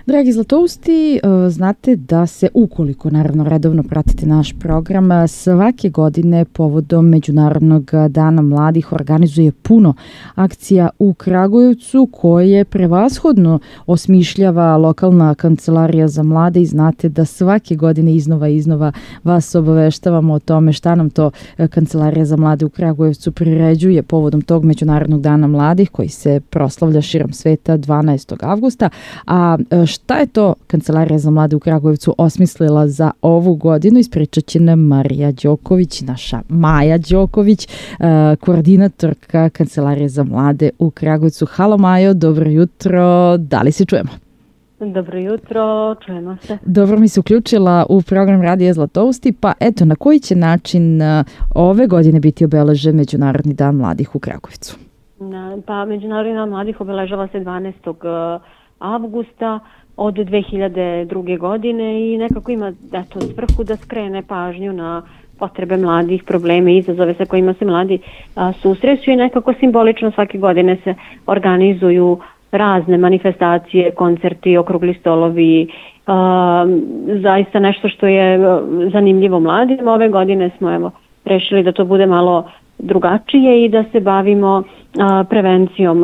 Dragi Zlatousti, znate da se, ukoliko naravno redovno pratite naš program, svake godine povodom Međunarodnog dana mladih organizuje puno akcija u Kragujevcu koje prevashodno osmišljava lokalna kancelarija za mlade i znate da svake godine iznova vas obaveštavamo o tome šta nam to Kancelarija za mlade u Kragujevcu priređuje povodom tog Međunarodnog dana mladih koji se proslavlja širom sveta 12. avgusta. A šta je to Kancelarija za mlade u Kragujevcu osmislila za ovu godinu? Ispričat će nam Marija Đoković, naša Maja Đoković, koordinatorka Kancelarije za mlade u Kragujevcu. Halo Majo, dobro jutro, da li se čujemo? Dobro jutro, čujemo se. Dobro mi se uključila u program Radija Zlatousti, pa eto, na koji će način ove godine biti obeležen Međunarodni dan mladih u Kragujevcu? Pa Međunarodni dan mladih obeležava se 12. avgusta od 2002. godine i nekako ima svrhu da skrene pažnju na potrebe mladih, probleme i izazove sa kojima se mladi susreću i nekako simbolično svake godine se organizuju razne manifestacije, koncerti, okrugli stolovi, zaista nešto što je zanimljivo mladima. Ove godine smo rešili da to bude malo drugačije i da se bavimo prevencijom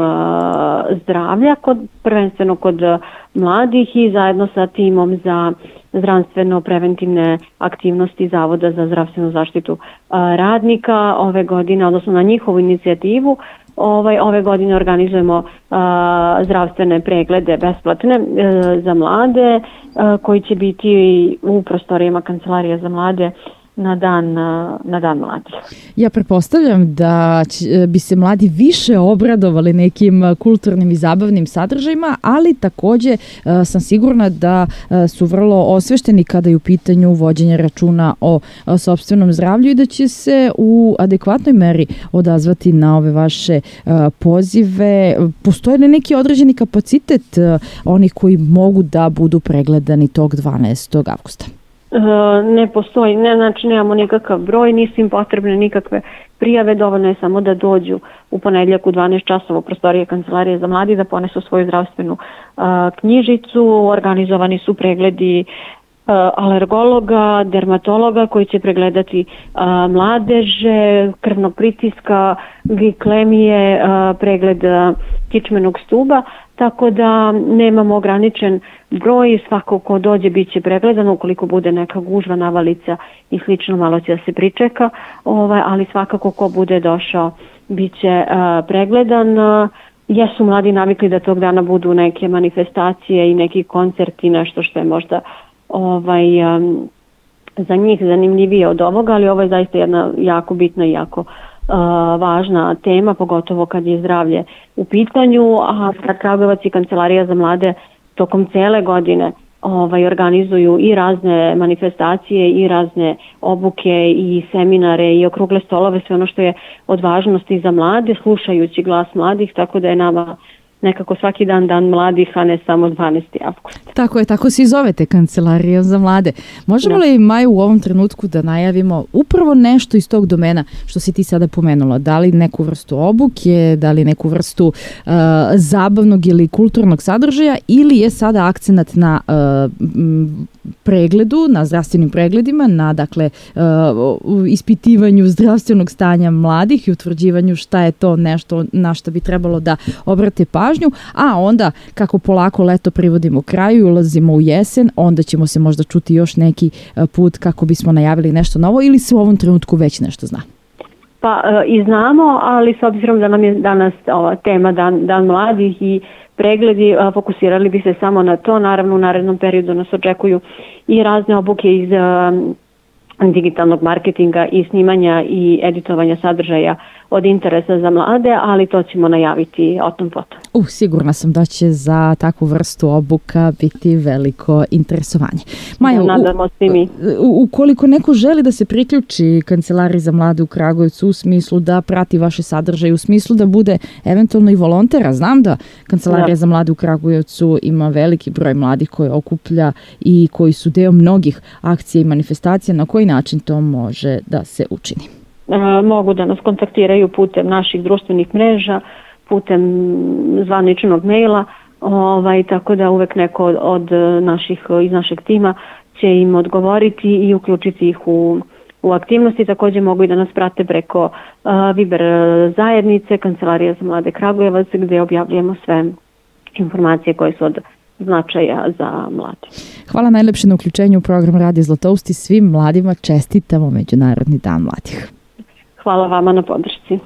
zdravlja, prvenstveno kod mladih i zajedno sa timom za zdravstveno-preventivne aktivnosti Zavoda za zdravstvenu zaštitu radnika ove godine, odnosno na njihovu inicijativu. Ove godine organizujemo zdravstvene preglede besplatne za mlade koji će biti u prostorijama Kancelarije za mlade na dan mladih. Ja pretpostavljam da bi se mladi više obradovali nekim kulturnim i zabavnim sadržajima, ali takođe sam sigurna da su vrlo osvešteni kada je u pitanju vođenja računa o sopstvenom zdravlju i da će se u adekvatnoj meri odazvati na ove vaše pozive. Postoje li neki određeni kapacitet onih koji mogu da budu pregledani tog 12. avgusta? Ne postoji, znači nemamo nikakav broj, nisu im potrebne nikakve prijave, dovoljno je samo da dođu u ponedjeljak u 12 časova u prostorije Kancelarije za mladi, da ponesu svoju zdravstvenu knjižicu, organizovani su pregledi alergologa, dermatologa koji će pregledati mladeže, krvnog pritiska, glikemije, pregled kičmenog stuba, tako da nemamo ograničen broj, svako ko dođe bit će pregledan, ukoliko bude neka gužva, navalica i slično, malo će da se pričeka, ali svakako ko bude došao bit će pregledan. Jesu mladi navikli da tog dana budu neke manifestacije i neki koncerti, nešto što je možda za njih zanimljivije od ovoga, ali ovo je zaista jedna jako bitna i jako važna tema, pogotovo kad je zdravlje u pitanju, a Kragujevac i Kancelarija za mlade tokom cele godine organizuju i razne manifestacije i razne obuke i seminare i okrugle stolove, sve ono što je od važnosti za mlade, slušajući glas mladih, tako da je nama nekako svaki dan mladih, a ne samo 12. avgust. Tako je, tako se i zovete Kancelarija za mlade. Možemo li, Maju, u ovom trenutku da najavimo upravo nešto iz tog domena što si ti sada pomenula? Da li neku vrstu obuke, da li neku vrstu zabavnog ili kulturnog sadržaja ili je sada akcenat na pregledu, na zdravstvenim pregledima, na ispitivanju zdravstvenog stanja mladih i utvrđivanju šta je to nešto na što bi trebalo da obrate pažnju, a onda kako polako leto privodimo kraju i ulazimo u jesen, onda ćemo se možda čuti još neki put kako bismo najavili nešto novo ili se u ovom trenutku već nešto zna? Pa i znamo, ali s obzirom da nam je danas ova tema dan mladih i pregledi, fokusirali bi se samo na to. Naravno, u narednom periodu nas očekuju i razne obuke iz digitalnog marketinga i snimanja i editovanja sadržaja od interesa za mlade, ali to ćemo najaviti o tom potom. Sigurna sam da će za takvu vrstu obuka biti veliko interesovanje. Maja, nadamo se mi. Ukoliko neko želi da se priključi Kancelariji za mlade u Kragujevcu u smislu da prati vaše sadržaje, u smislu da bude eventualno i volontera, znam da Kancelarija za mlade u Kragujevcu ima veliki broj mladih koje okuplja i koji su deo mnogih akcija i manifestacija, na koji način to može da se učini? Mogu da nas kontaktiraju putem naših društvenih mreža, putem zvaničnog maila, tako da uvek neko od iz našeg tima će im odgovoriti i uključiti ih u aktivnosti. Takođe mogu i da nas prate preko Viber zajednice, Kancelarija za mlade Kragujevac, gde objavljujemo sve informacije koje su od značaja za mlade. Hvala najlepše na uključenju u program Radio Zlatoust i svim mladima čestitamo Međunarodni dan mladih. Hvala vama na podršci.